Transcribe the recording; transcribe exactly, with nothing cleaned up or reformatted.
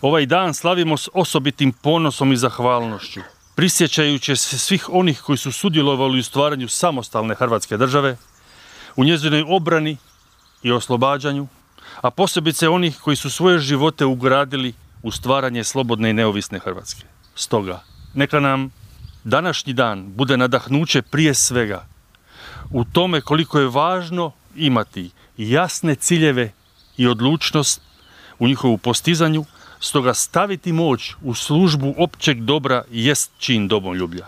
Ovaj dan slavimo s osobitim ponosom i zahvalnošću, prisjećajući se svih onih koji su sudjelovali u stvaranju samostalne Hrvatske države, u njezinoj obrani i oslobađanju, a posebice onih koji su svoje živote ugradili u stvaranje slobodne i neovisne Hrvatske. Stoga, neka nam današnji dan bude nadahnuće prije svega u tome koliko je važno imati jasne ciljeve i odlučnost u njihovu postizanju, stoga staviti moć u službu općeg dobra jest čin domoljublja.